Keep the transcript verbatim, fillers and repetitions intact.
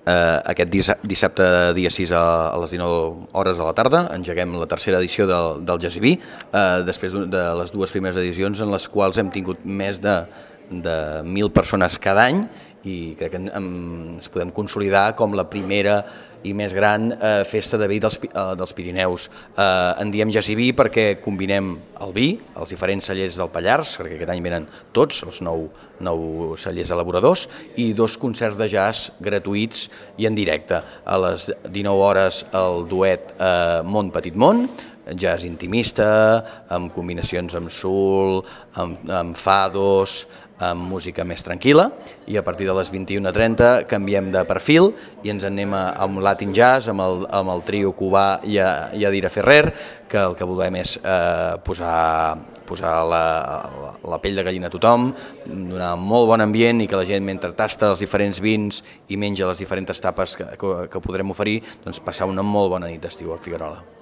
Eh, aquest dissabte dia sis a les dinou hores de la tarda engeguem la tercera edició del, del Jazz i Vi, eh, després de les dues primeres edicions en les quals hem tingut més de, de mil persones cada any, i crec que ens podem consolidar com la primera i més gran eh, festa de vi dels, eh, dels Pirineus. Eh, en diem Jazz i Vi perquè combinem el vi, els diferents cellers del Pallars, perquè aquest any venen tots, els nou, nou cellers elaboradors, i dos concerts de jazz gratuïts i en directe. A les dinou hores el duet eh, Món Petit Món, jazz intimista, amb combinacions amb soul, amb, amb fados, amb música més tranquil·la, i a partir de les vint-i-una trenta canviem de perfil i ens anem a, a un Latin Jazz amb el, amb el trio cubà i, a, i Adira Ferrer, que el que volem és eh, posar, posar la, la, la pell de gallina a tothom, donar un molt bon ambient i que la gent, mentre tasta els diferents vins i menja les diferents tapes que, que, que podrem oferir, doncs passar una molt bona nit d'estiu a Figuerola.